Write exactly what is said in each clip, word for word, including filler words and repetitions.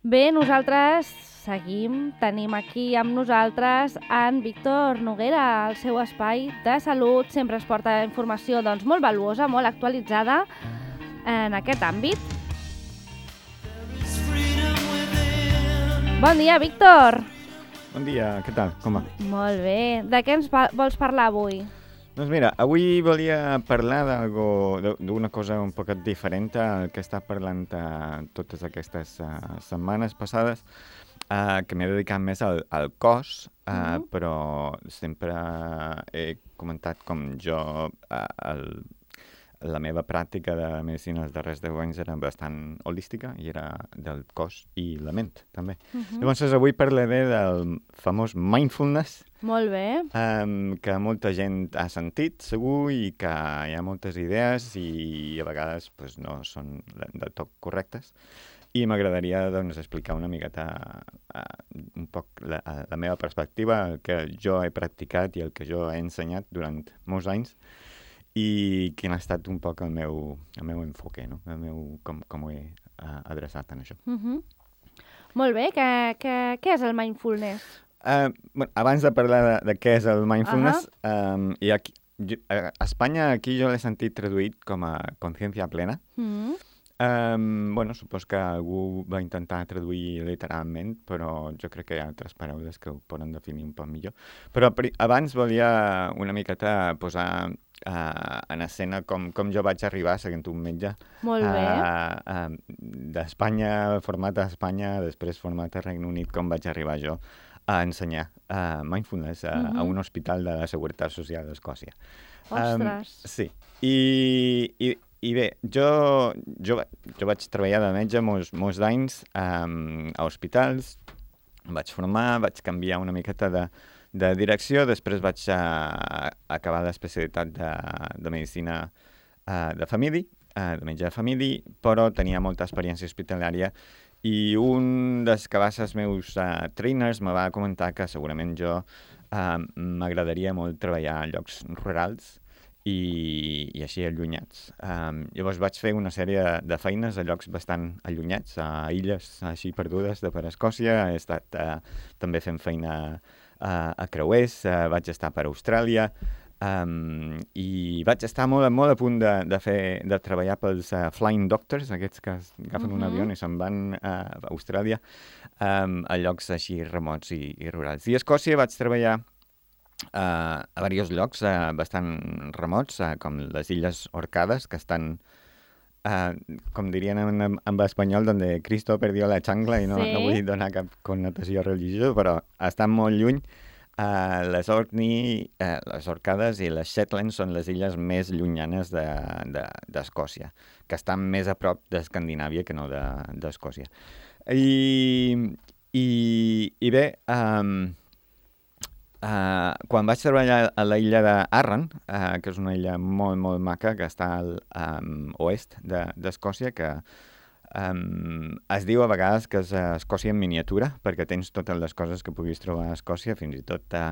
Bé, nosaltres seguim, tenim aquí amb nosaltres en Víctor Noguera, el seu espai de salut, sempre es porta informació doncs, molt valuosa, molt actualitzada en aquest àmbit. Bon dia, Víctor! Bon dia, què tal? Com va? Molt bé. De què ens vols parlar avui? Doncs mira, avui volia parlar d'una cosa un poquet diferent al que està parlant uh, totes aquestes uh, setmanes passades, uh, que m'he dedicat més al, al cos, uh, mm-hmm. però sempre he comentat com jo, uh, el, la meva pràctica de medicina els darrers deu anys era bastant holística i era del cos i la ment, també. Mm-hmm. Llavors, avui parlaré del famós mindfulness, molt bé. Um, que molta gent ha sentit, segur, i que hi ha moltes idees i a vegades pues, no són del tot correctes. I m'agradaria doncs, explicar una miqueta uh, un poc la, la meva perspectiva, el que jo he practicat i el que jo he ensenyat durant molts anys i quin ha estat un poc el meu, el meu enfoque, no? El meu, com, com ho he uh, adreçat en això. Mm-hmm. Molt bé, què, què, què és el mindfulness? Uh, bueno, abans de parlar de, de què és el mindfulness, uh-huh. um, i aquí, jo, a Espanya aquí jo l'he sentit traduït com a consciència plena. Mm-hmm. Um, bueno, supos que algú va intentar traduir literalment, però jo crec que hi ha altres paraules que ho poden definir un poc millor. Però abans volia una miqueta posar uh, en escena com, com jo vaig arribar seguint un metge. Molt bé. Uh, uh, d'Espanya, format a Espanya, després format a Regne Unit, com vaig arribar jo a ensenyar uh, mindfulness a, uh-huh. a un hospital de la Seguretat Social d'Escòcia. Ostres! Um, sí. I, i, i bé, jo, jo, jo vaig treballar de metge molts, molts d'anys um, a hospitals, em vaig formar, vaig canviar una miqueta de, de direcció, després vaig uh, acabar l'especialitat de, de medicina uh, de família, uh, de metge de família, però tenia molta experiència hospitalària. I un dels que va ser els meus uh, trainers me va comentar que segurament jo uh, m'agradaria molt treballar a llocs rurals i, i així allunyats. Um, llavors vaig fer una sèrie de, de feines a llocs bastant allunyats, a illes així perdudes de per Escòcia. He estat uh, també fent feina uh, a creuers, uh, vaig estar per Austràlia, Um, i vaig estar molt, molt a punt de, de, fer, de treballar pels uh, Flying Doctors, aquests que agafen uh-huh. un avió i se'n van uh, a Austràlia, um, a llocs així remots i, i rurals. I a Escòcia vaig treballar uh, a diversos llocs uh, bastant remots, uh, com les Illes Orcades, que estan, uh, com dirien en, en espanyol, donde Cristo perdió la xangla, i no, sí. no vull donar cap connotació religiosa, però estan molt lluny. Uh, les Orkney, uh, les Orcades i les Shetland són les illes més llunyanes de, de, d'Escòcia, que estan més a prop d'Escandinàvia que no de, d'Escòcia. I, i, i bé, um, uh, quan vaig treballar a la illa d'Arran, uh, que és una illa molt, molt maca, que està al um, oest de, d'Escòcia, que Um, es diu a vegades que és Escòcia en miniatura, perquè tens totes les coses que puguis trobar a Escòcia, fins i tot uh,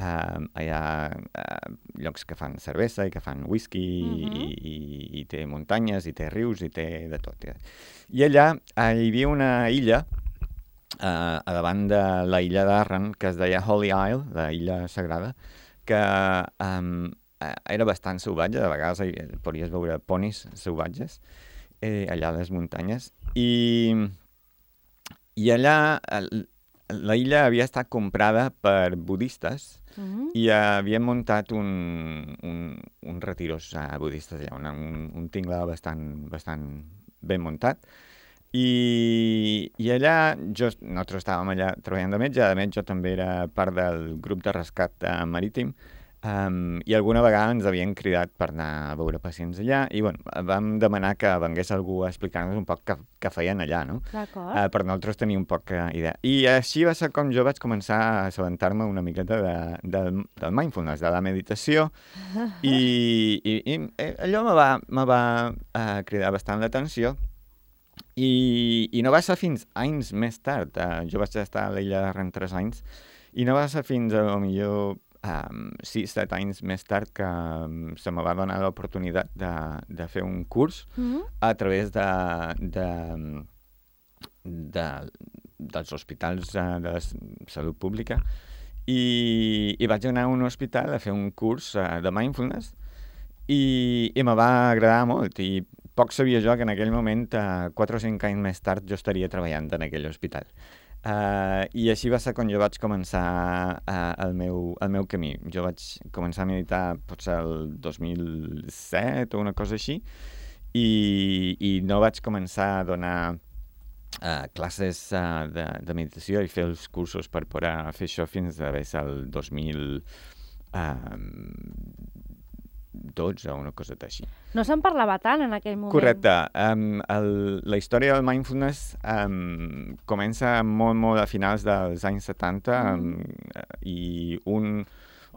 uh, hi ha uh, llocs que fan cervesa i que fan whisky, uh-huh. i, i, i té muntanyes, i té rius, i té de tot. I allà uh, hi havia una illa uh, a davant de la illa d'Arran, que es deia Holy Isle, la illa sagrada, que um, era bastant salvatge, de vegades hi podries veure ponis salvatges, Eh, allà a les muntanyes, i, i allà la illa havia estat comprada per budistes uh-huh. i havien muntat un, un, un retiros uh, budistes allà, una, un, un tingle bastant, bastant ben muntat, i, i allà jo, nosaltres estàvem allà treballant de metge, a més jo també era part del grup de rescat uh, marítim. Um, I alguna vegada ens havien cridat per anar a veure pacients allà i bueno, vam demanar que vengués algú a explicar-nos un poc què, què feien allà, no? D'acord. Uh, per nosaltres tenir un poc uh, idea. I així va ser com jo vaig començar a assabentar-me una miqueta de, de, del mindfulness, de la meditació, i, i, i allò me va, me va uh, cridar bastant l'atenció. I, I no va ser fins anys més tard, uh, jo vaig estar a l'illa d'Arran tres anys, i no va ser fins a lo millor Um, sis, set anys més tard que um, se me va donar l'oportunitat de, de fer un curs mm-hmm. a través de, de, de, dels hospitals uh, de la salut pública i, i vaig anar a un hospital a fer un curs uh, de mindfulness i, i me va agradar molt i poc sabia jo que en aquell moment, uh, quatre o cinc anys més tard, jo estaria treballant en aquell hospital. Uh, I així va ser quan jo vaig començar uh, el, meu, el meu camí. Jo vaig començar a meditar potser el dos mil set o una cosa així i, i no vaig començar a donar uh, classes uh, de, de meditació i fer els cursos per poder fer això fins a ser el dos mil dotze o una cosa així. No se'n parlava tant en aquell moment. Correcte. Um, el, la història del mindfulness um, comença molt, molt a finals dels anys setanta mm. um, i un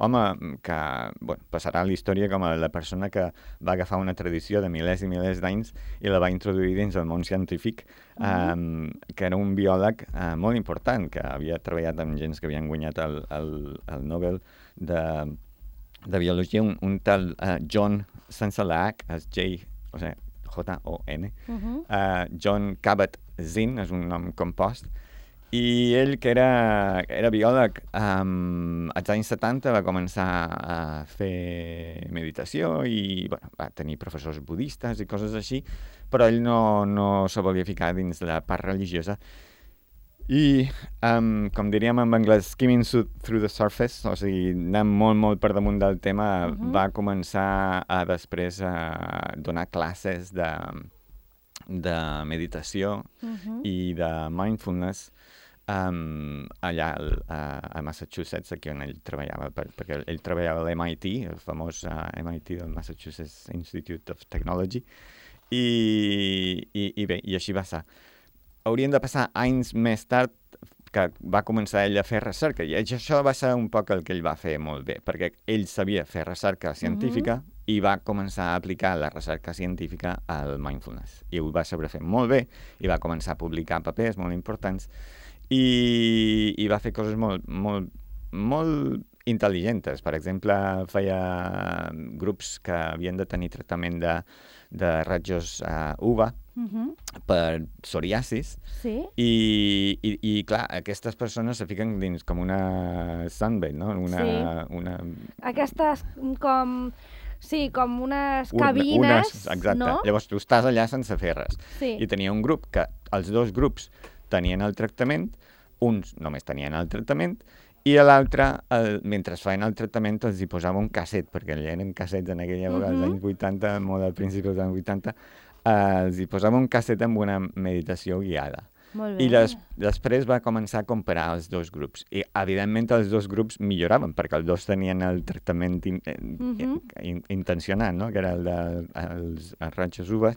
home que bueno, passarà a la història com a la persona que va agafar una tradició de milers i milers d'anys i la va introduir dins el món científic, mm. um, que era un biòleg uh, molt important, que havia treballat amb gens que havien guanyat el, el, el Nobel de de biologia, un, un tal uh, John, sense la H, és J, o sigui, J O N, uh-huh. uh, John Kabat-Zinn, és un nom compost, i ell, que era, era biòleg, um, als anys setanta va començar a fer meditació i bueno, va tenir professors budistes i coses així, però ell no, no se volia ficar dins la part religiosa. I, um, com diríem en anglès, skimming through the surface, o sigui, anant molt, molt per damunt del tema, uh-huh. va començar a després a donar classes de, de meditació uh-huh. i de mindfulness um, allà a, a Massachusetts, aquí on ell treballava, per, perquè ell treballava a l'M I T, el famós uh, M I T del Massachusetts Institute of Technology, i, i, i bé, i així va ser. Haurien de passar anys més tard que va començar ell a fer recerca, i això va ser un poc el que ell va fer molt bé, perquè ell sabia fer recerca científica uh-huh. i va començar a aplicar la recerca científica al mindfulness. I ho va saber fer molt bé, i va començar a publicar papers molt importants, i, i va fer coses molt, molt, molt intel·ligents. Per exemple, feia grups que havien de tenir tractament de, de rajos uh, U V A, Uh-huh. per psoriasis sí? I, i, i clar, aquestes persones se fiquen dins com una sunbed, no? Una, sí. una... Aquestes com... Sí, com unes cabines, unes, exacte. No? Llavors tu estàs allà sense fer res. Sí. I tenia un grup que els dos grups tenien el tractament, uns només tenien el tractament, i a l'altre, el, mentre feien el tractament, els hi posava un casset, perquè eren cassets en aquella època, uh-huh. als anys vuitanta, molt al principi dels anys vuitanta, Uh, els hi posava un casset amb una meditació guiada. Molt bé. I des, després va començar a comparar els dos grups. I, evidentment, els dos grups milloraven, perquè els dos tenien el tractament in, uh-huh. in, intencionat, no? Que era el dels de, rajos U V A,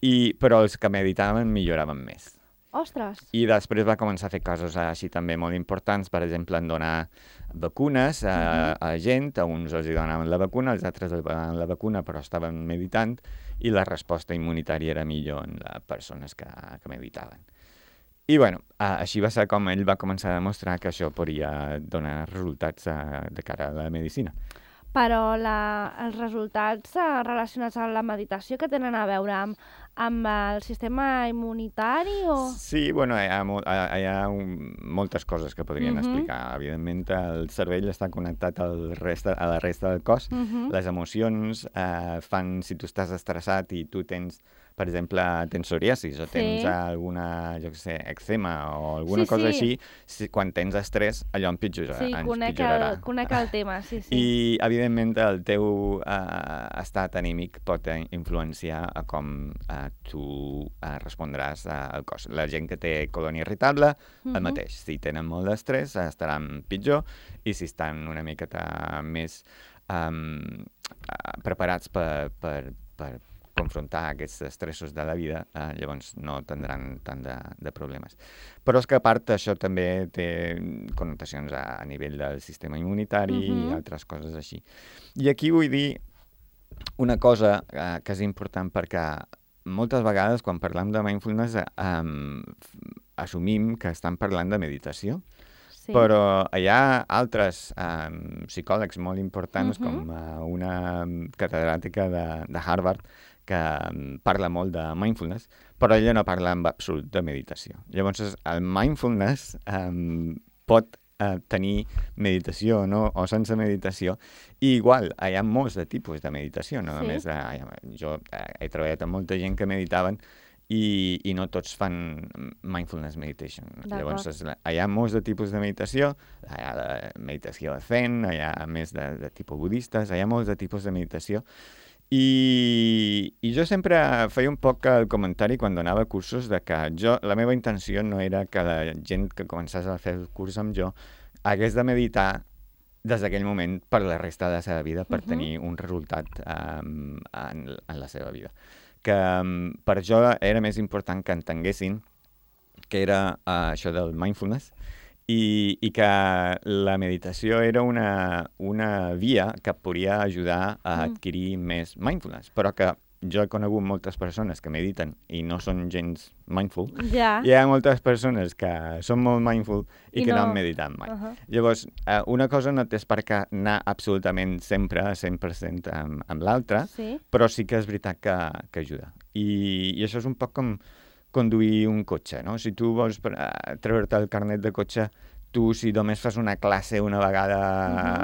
i, però els que meditaven milloraven més. Ostres! I després va començar a fer coses així també molt importants, per exemple, en donar vacunes a, uh-huh. a gent, a uns els donaven la vacuna, als altres els donaven la vacuna però estaven meditant, i la resposta immunitària era millor en les persones que, que meditaven. I bueno, així va ser com ell va començar a demostrar que això podria donar resultats de cara a la medicina. Però la, els resultats relacionats amb la meditació que tenen a veure amb, amb el sistema immunitari o...? Sí, bueno, hi ha, hi ha un, moltes coses que podrien uh-huh. explicar. Evidentment, el cervell està connectat al resta, a la resta del cos. Uh-huh. Les emocions eh, fan, si tu estàs estressat i tu tens, per exemple, tens psoriasis o tens sí. alguna, jo què sé, eczema o alguna sí, cosa sí. així, si, quan tens estrès, allò empitjorarà. Sí, conec el, conec el tema, sí, sí. I, evidentment, el teu uh, estat anímic pot influenciar a com uh, tu uh, respondràs uh, al cos. La gent que té colònia irritable, uh-huh. el mateix. Si tenen molt d'estrès, estaran pitjor, i si estan una miqueta més um, uh, preparats per, per, per confrontar aquests estressos de la vida, eh, llavors no tindran tant de, de problemes. Però és que a part això també té connotacions a, a nivell del sistema immunitari uh-huh. i altres coses així. I aquí vull dir una cosa eh, que és important perquè moltes vegades quan parlem de mindfulness eh, assumim que estan parlant de meditació. Sí. Però hi ha altres um, psicòlegs molt importants, Mhm. com uh, una catedràtica de, de Harvard, que um, parla molt de mindfulness, però ella no parla en absolut de meditació. Llavors, el mindfulness um, pot uh, tenir meditació no? o sense meditació, i igual, hi ha molts de tipus de meditació, no Sí. només de, jo uh, he treballat amb molta gent que meditaven, i, i no tots fan mindfulness meditation. Llavors, és, hi ha molts de tipus de meditació, hi ha la meditació zen, hi ha més de, de tipus budistes, hi ha molts de tipus de meditació, i, i jo sempre feia un poc el comentari quan donava cursos de que jo, la meva intenció no era que la gent que començés a fer el curs amb jo hagués de meditar des d'aquell moment per la resta de la seva vida, per uh-huh. tenir un resultat um, en, en la seva vida. Que um, per jo era més important que entenguessin que era uh, això del mindfulness i, i que la meditació era una, una via que podria ajudar a adquirir mm. més mindfulness, però que jo he conegut moltes persones que mediten i no són gens mindful, ja. i hi ha moltes persones que són molt mindful i, I que no... no han meditat mai. Uh-huh. Llavors, eh, una cosa no tens per què anar absolutament sempre a cent per cent amb, amb l'altra, sí. però sí que és veritat que, que ajuda. I, I això és un poc com conduir un cotxe, no? Si tu vols uh, treure'te el carnet de cotxe, tu si només fas una classe una vegada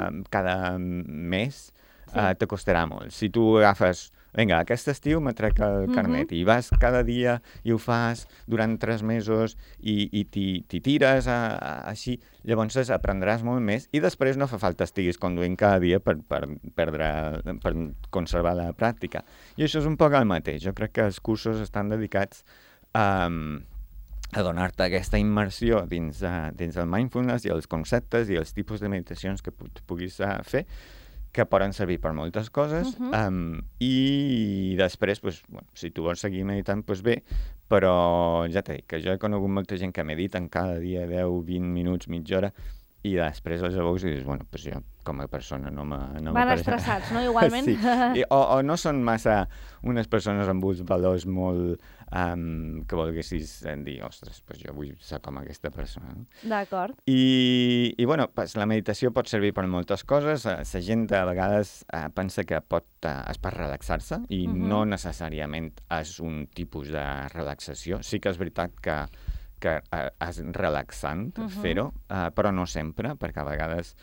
uh-huh. cada mes, sí. uh, te costarà molt. Si tu agafes... Vinga, aquest estiu me trec el carnet uh-huh. i vas cada dia i ho fas durant tres mesos i, i t'hi tires a, a, així, llavors aprendràs molt més i després no fa falta estiguis conduint cada dia per, per, perdre, per conservar la pràctica. I això és un poc el mateix. Jo crec que els cursos estan dedicats a, a donar-te aquesta immersió dins, uh, dins el mindfulness i els conceptes i els tipus de meditacions que pu puguis uh, fer, que poden servir per moltes coses, uh-huh. um, i després, pues, bueno, si tu vols seguir meditant, pues bé, però ja t'he dit que jo he conegut molta gent que mediten cada dia deu, vint minuts, mitja hora, i després els veus i dius, bueno, pues jo com a persona no me... No Van me estressats, no? Igualment. Sí. I, o, o no són massa unes persones amb uns valors molt... Um, que volguessis dir, ostres, pues jo vull ser com aquesta persona. No? D'acord. I, i bueno, pues, la meditació pot servir per moltes coses. La gent a vegades uh, pensa que pot, uh, és per relaxar-se i uh-huh. no necessàriament és un tipus de relaxació. Sí que és veritat que que uh, és relaxant uh-huh. fer-ho, uh, però no sempre, perquè a vegades,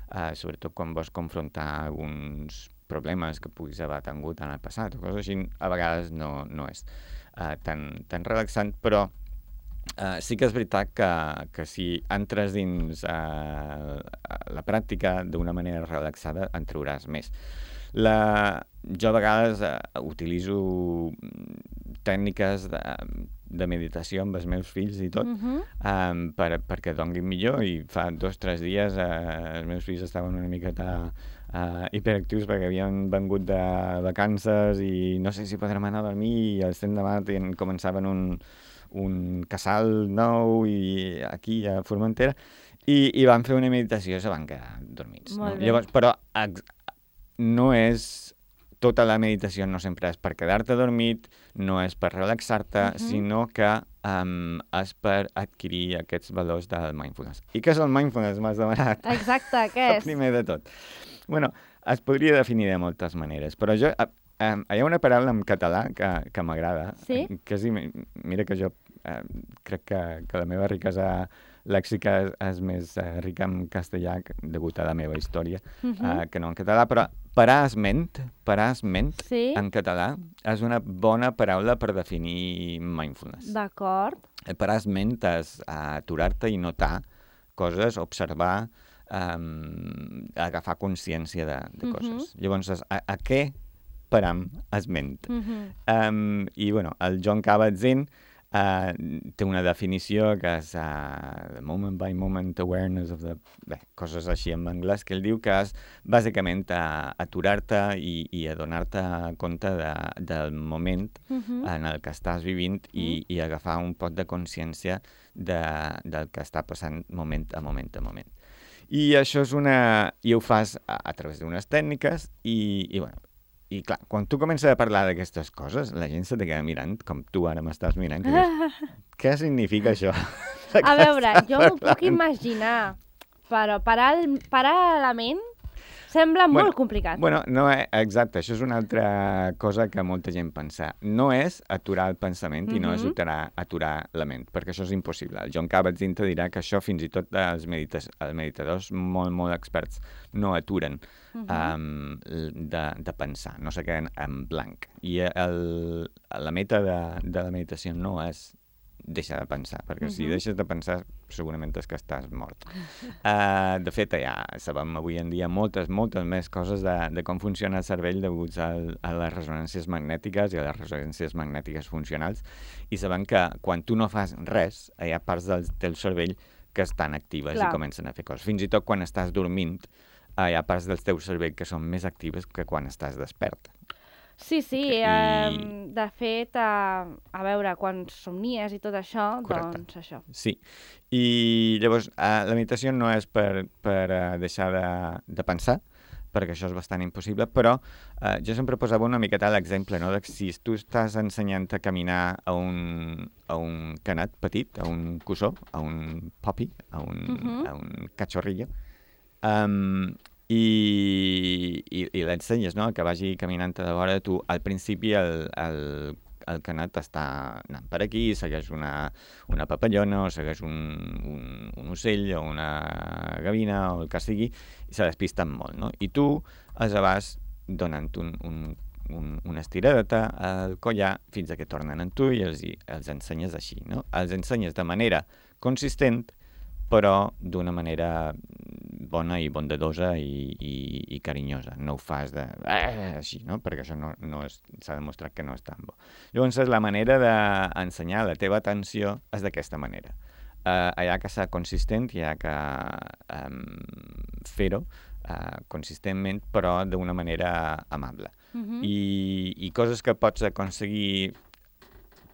uh, sobretot quan vols confrontar alguns problemes que puguis haver tingut en el passat o coses així, a vegades no, no és uh, tan, tan relaxant, però uh, sí que és veritat que, que si entres dins uh, la pràctica d'una manera relaxada en trauràs més. La... Jo a vegades uh, utilitzo tècniques de, de meditació amb els meus fills i tot, uh-huh. um, per, perquè donguin millor, i fa dos o tres dies uh, els meus fills estaven una miqueta uh, hiperactius perquè havien vengut de vacances i no sé si podrem anar a dormir, i al cent de mat començaven un, un casal nou i aquí a Formentera, i, i van fer una meditació i se van quedar dormits. No? Llavors, però no és... Tota la meditació no sempre és per quedar-te dormit, no és per relaxar-te, uh-huh. sinó que um, és per adquirir aquests valors del mindfulness. I què és el mindfulness? M'has demanat. Exacte, què és? Primer de tot. Bueno, es podria definir de moltes maneres, però jo, uh, um, hi ha una paraula en català que, que m'agrada, sí? que és, mira que jo uh, crec que, que la meva riquesa lèxica és, és més uh, rica en castellà degut a la meva història, uh-huh. uh, que no en català, però parasment, parasment sí? en català és una bona paraula per definir mindfulness. D'acord. Parasment és uh, aturar-te i notar coses, observar, um, agafar consciència de, de coses. Uh-huh. Llavors, a, a què param es ment? Uh-huh. um, I, bueno, el Jon Kabat-Zinn Uh, té una definició que és uh, moment by moment awareness of the... Bé, coses així en anglès, que ell diu que és bàsicament uh, aturar-te i, i adonar-te compte de, del moment uh-huh. en el que estàs vivint i, uh-huh. i agafar un pot de consciència de, del que està passant moment a moment a moment. I això és una... I ho fas a, a través d'unes tècniques i, i bueno, i clar, quan tu comences a parlar d'aquestes coses, la gent se te queda mirant, com tu ara m'estàs mirant, i dius, què significa això? A veure, jo m'ho puc imaginar. però parar, el, parar la ment sembla bueno, molt complicat. Bueno, no és, exacte, això és una altra cosa que molta gent pensa. No és aturar el pensament mm-hmm. i no és aturar, aturar la ment, perquè això és impossible. El Jon Kabat-Zinn te dirà que això fins i tot els, medites, els meditadors molt, molt experts no aturen mm-hmm. um, de, de pensar, no se queden en blanc. I el, la meta de, de la meditació no és deixar de pensar, perquè uh-huh. si deixes de pensar segurament és que estàs mort. Uh, de fet, ja sabem avui en dia moltes, moltes més coses de, de com funciona el cervell deguts a, a les ressonàncies magnètiques i a les ressonàncies magnètiques funcionals, i sabem que quan tu no fas res, hi ha parts del teu cervell que estan actives Clar. I comencen a fer coses. Fins i tot quan estàs dormint, hi ha parts del teu cervell que són més actives que quan estàs despert. Sí, sí, I... eh, de fet, eh, a veure, quan somnies i tot això, Correcte. Doncs això. Sí, i llavors eh, la meditació no és per, per eh, deixar de, de pensar, perquè això és bastant impossible, però eh, jo sempre posava una miqueta l'exemple, no?, de si tu estàs ensenyant a caminar a un, a un canat petit, a un cussó, a un puppy, a un, uh-huh. a un cachorrillo, um, i, i, i l'ensenyes, no?, que vagi caminant de vora de tu. Al principi el, el, el canat està anant per aquí, segueix una, una papallona o segueix un, un, un ocell o una gavina o el que sigui, i se despisten molt, no? I tu els vas donant un, un, un, una estiradeta al collar fins a que tornen en tu i els, els ensenyes així, no? Els ensenyes de manera consistent, però d'una manera bona i bondadosa i, i, i carinyosa. No ho fas de... Eh, així, no? Perquè això no, no és, s'ha demostrat que no és tan bo. Llavors, la manera d'ensenyar la teva atenció és d'aquesta manera. Uh, hi ha que ser consistent, hi ha que um, fer-ho uh, consistentment, però d'una manera amable. Uh-huh. I, I coses que pots aconseguir...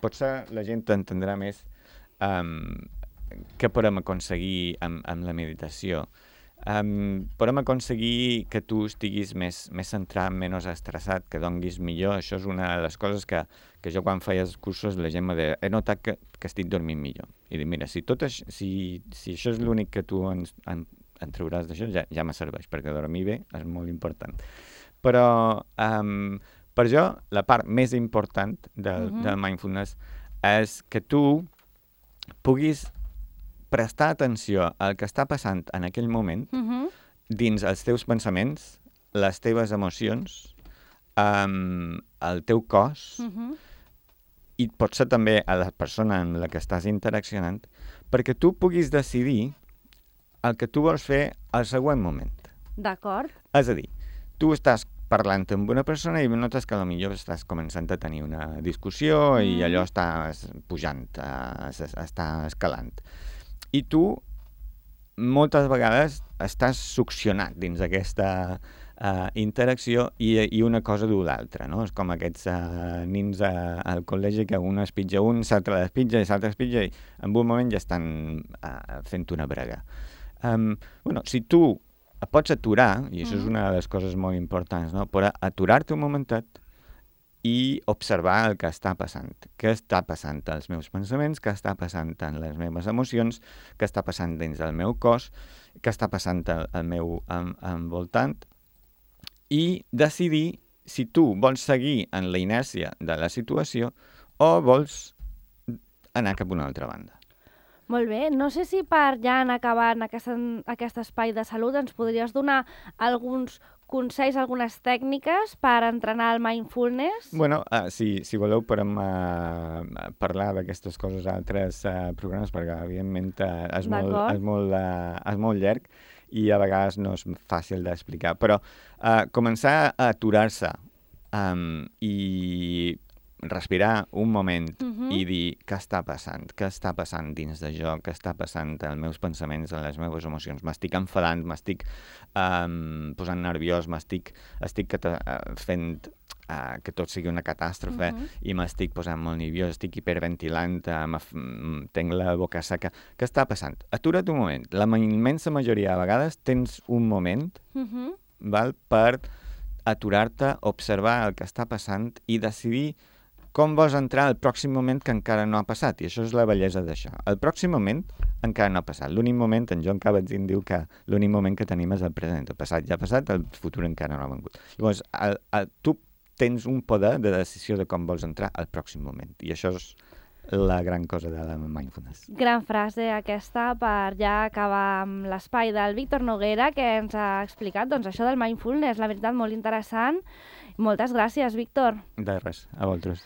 Potser la gent t'entendrà més um, què podem aconseguir amb, amb la meditació. Um, podem aconseguir que tu estiguis més, més centrat, menys estressat, que donguis millor. Això és una de les coses que, que jo quan feia els cursos la gent me deia, he notat que, que estic dormint millor. I dic, mira, si, tot això, si, si això és l'únic que tu en, en, en trauràs d'això, ja, ja me serveix, perquè dormir bé és molt important. Però um, per jo la part més important del, uh-huh. del mindfulness és que tu puguis prestar atenció al que està passant en aquell moment uh-huh. dins els teus pensaments, les teves emocions, um, el teu cos uh-huh. i potser també a la persona amb la que estàs interaccionant, perquè tu puguis decidir el que tu vols fer al següent moment. D'acord. És a dir, tu estàs parlant amb una persona i notes que potser estàs començant a tenir una discussió mm. i allò està pujant, uh, està escalant. I tu moltes vegades estàs succionat dins d'aquesta uh, interacció i, i una cosa du l'altra, no? És com aquests uh, nins uh, al col·legi que un espitja un, l'altre l'espitja i l'altre espitja i en un moment ja estan uh, fent una brega. Um, bueno, si tu et pots aturar, i això mm. és una de les coses molt importants, no? Però aturar-te un momentet i observar el que està passant. Què està passant als meus pensaments, què està passant en les meves emocions, què està passant dins del meu cos, què està passant al, al meu en, envoltant, i decidir si tu vols seguir en la inèrcia de la situació o vols anar cap a una altra banda. Molt bé. No sé si per ja anar acabant aquest, aquest espai de salut ens podries donar alguns consells, algunes tècniques per entrenar el mindfulness? Bueno, uh, si, si voleu podem uh, parlar d'aquestes coses a altres uh, programes, perquè evidentment uh, és, molt, és, molt, uh, és molt llarg i a vegades no és fàcil d'explicar. Però uh, començar a aturar-se um, i respirar un moment uh-huh. i dir què està passant, què està passant dins de jo, què està passant als meus pensaments, a les meves emocions. M'estic enfadant, m'estic um, posant nerviós, m'estic estic uh, fent uh, que tot sigui una catàstrofe uh-huh. i m'estic posant molt nerviós, estic hiperventilant, uh, tenc la boca seca. Què està passant? Atura't un moment. La immensa majoria de vegades tens un moment uh-huh. val, per aturar-te, observar el que està passant i decidir com vols entrar al pròxim moment que encara no ha passat, i això és la bellesa d'això. El pròxim moment encara no ha passat. L'únic moment, en John Kabat-Zinn diu que l'únic moment que tenim és el present. El passat ja ha passat, el futur encara no ha vengut. Llavors, el, el, tu tens un poder de decisió de com vols entrar al pròxim moment. I això és la gran cosa de la mindfulness. Gran frase aquesta per ja acabar amb l'espai del Víctor Noguera, que ens ha explicat doncs, això del mindfulness, la veritat, molt interessant. Moltes gràcies, Víctor. De res, a vosaltres.